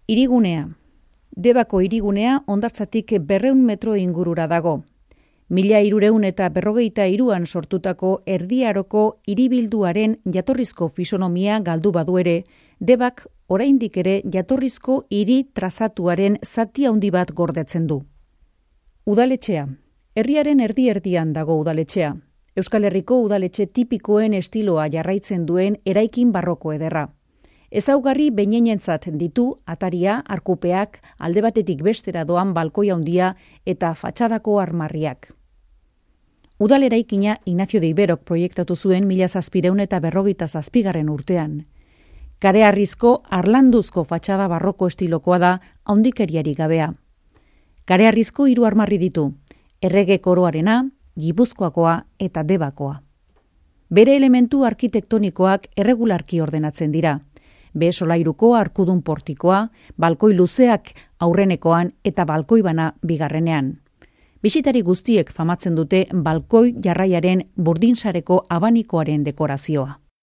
Hirigunea. Debako hirigunea hondartzatik 200 metro ingurura dago. 1353an sortutako Erdi Aroko hiribilduaren jatorrizko fisonomia galdu badu ere, Debak oraindik ere jatorrizko hiri trazatuaren zati handi bat gordetzen du. Udaletxea. Herriaren erdi-erdian dago udaletxea. Euskal Herriko udaletxe tipikoen estiloa jarraitzen duen eraikin barroko ederra. Ezaugarri behinenentzat ditu ataria, arkupeak, alde batetik bestera doan balkoi handia eta fatxadako armarriak. Udal eraikina Ignacio de Iberok proiektatu zuen 1757 urtean. Kareharrizko harlanduzko fatxada barroko estilokoa da, haundikeriari gabea. Kareharrizko 3 armarri ditu, Errege Koroarena, Gipuzkoakoa eta Debakoa. Bere elementu arkitektonikoak erregularki ordenatzen dira. Behe solairuko arkudun portikoa, balkoi luzeak aurrenekoan eta balkoi bana bigarrenean. Bisitari guztiek famatzen dute balkoi jarraiaren burdinsareko abanikoaren dekorazioa.